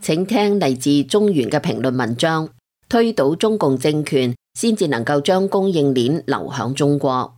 請聽嚟自中原嘅評論文章。推倒中共政權，先至能夠將供應鏈流向中國。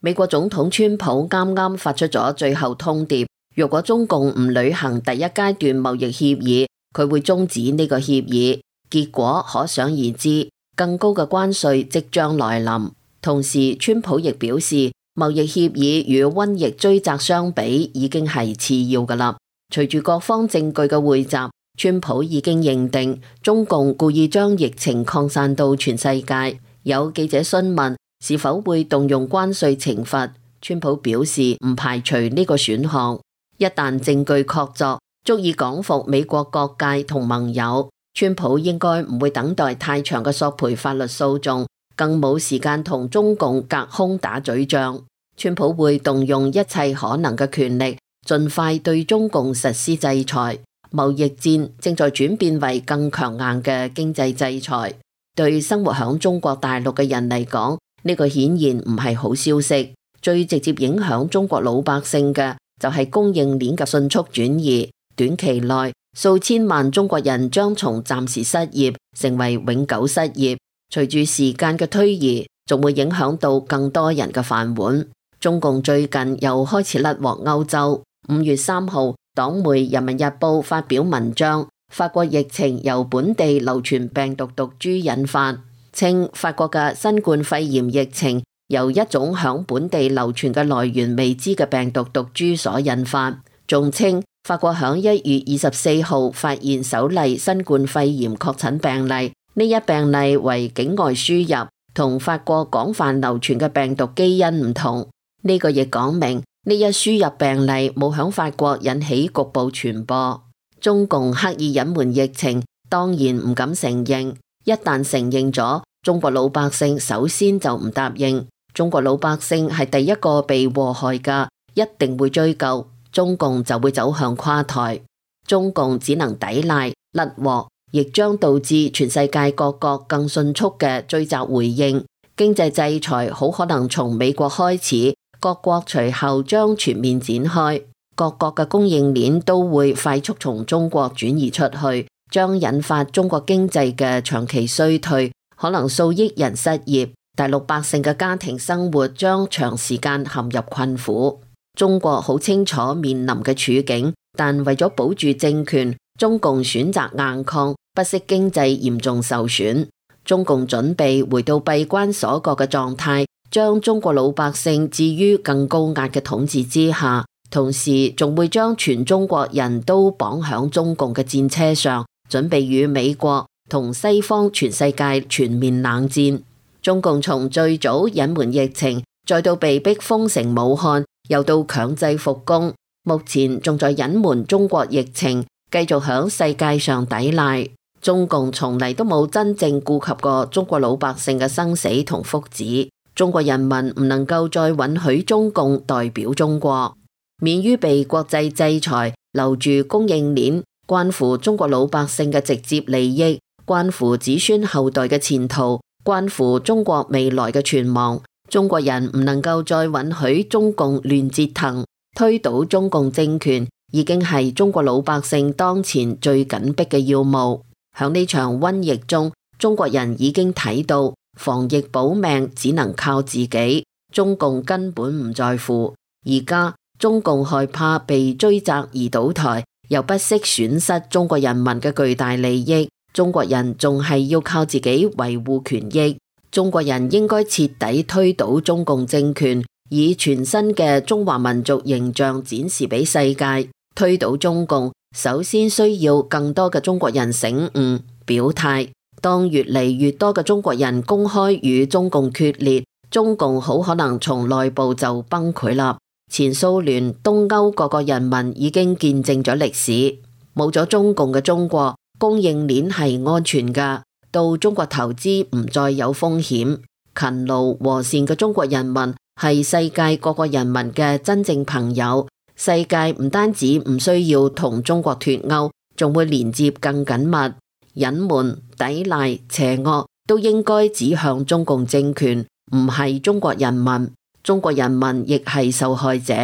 美國總統川普啱啱發出咗最後通牒，若果中共唔履行第一階段貿易協議，佢會終止呢個協議。結果可想而知，更高嘅關稅即將來臨。同時，川普亦表示，貿易協議與瘟疫追責相比，已經係次要㗎喇。隨住各方證據嘅匯集，川普已經認定中共故意將疫情擴散到全世界。有記者詢問是否會動用關稅懲罰，川普表示唔排除呢個選項。一旦證據確鑿，足以講服美國各界同盟友，川普應該唔會等待太長嘅索賠法律訴訟，更冇時間同中共隔空打嘴仗。川普會動用一切可能嘅權力，盡快對中共實施制裁。貿易戰正在轉變為更強硬嘅經濟制裁。對生活響中國大陸嘅人嚟講，呢個顯然唔係好消息。最直接影響中國老百姓嘅就係供應鏈嘅迅速轉移。短期內，數千萬中國人將從暫時失業成為永久失業。隨住時間嘅推移，仲會影響到更多人嘅飯碗。中共最近又開始甩鍋歐洲。5月3號，黨媒《人民日報》發表文章，法國疫情由本地流傳病毒毒株引發，稱法國嘅新冠肺炎疫情由一種響本地流傳嘅來源未知嘅病毒毒株所引發，仲稱法國響1月24號發現首例新冠肺炎確診病例，呢一病例為境外輸入，同法國廣泛流傳嘅病毒基因唔同。呢個亦講明呢一輸入病例冇響法國引起局部傳播。中共刻意隱瞞疫情，當然唔敢承認。一旦承認咗，中國老百姓首先就唔答應。中國老百姓係第一個被禍害㗎，一定會追究，中共就會走向垮台。中共只能抵賴甩鍋，亦將導致全世界各國更迅速嘅追責回應。經濟制裁好可能從美國開始，各國隨後將全面展開，各國嘅供應鏈都會快速從中國轉移出去，將引發中國經濟嘅長期衰退，可能數億人失業，大陸百姓嘅家庭生活將長時間陷入困苦。中國好清楚面臨嘅處境，但為咗保住政權，中共選擇硬抗，不惜經濟嚴重受損。中共準備回到閉關鎖國嘅狀態，將中國老百姓置於更高壓嘅統治之下，同時仲會將全中國人都綁響中共嘅戰車上，準備與美國同西方全世界全面冷戰。中共從最早隱瞞疫情，再到被逼封城武漢，又到強制復工，目前仲在隱瞞中國疫情，繼續響世界上抵賴。中共從嚟都冇真正顧及過中國老百姓嘅生死同福祉。中國人民唔能夠再允許中共代表中國，免於被國際制裁，留住供應鏈，關乎中國老百姓嘅直接利益，關乎子孫後代嘅前途，關乎中國未來嘅存亡。中國人唔能夠再允許中共亂折騰，推倒中共政權已經係中國老百姓當前最緊迫嘅要務。響呢場瘟疫中，中國人已經睇到防疫保命只能靠自己，中共根本唔在乎。而家中共害怕被追責而倒台，又不惜損失中國人民嘅巨大利益，中國人仲係要靠自己維護權益。中國人應該徹底推倒中共政權，以全新嘅中華民族形象展示俾世界。推倒中共，首先需要更多嘅中國人醒悟表態。當越嚟越多嘅中國人公開與中共決裂，中共好可能從內部就崩潰啦。前蘇聯、東歐各個人民已經見證咗歷史，冇咗中共嘅中國，供應鏈係安全噶，到中國投資唔再有風險。勤勞和善嘅中國人民係世界各個人民嘅真正朋友。世界唔單止唔需要同中國脫鈎，仲會連接更緊密。隱瞞、抵賴、邪惡都應該指向中共政權，唔係中國人民。中國人民亦係受害者。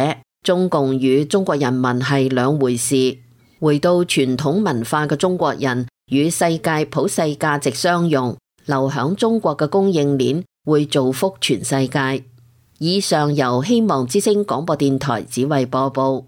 中共與中國人民係兩回事。回到傳統文化嘅中國人與世界普世價值相融，留響中國嘅供應鏈會造福全世界。以上由希望之聲廣播電台子慧播報。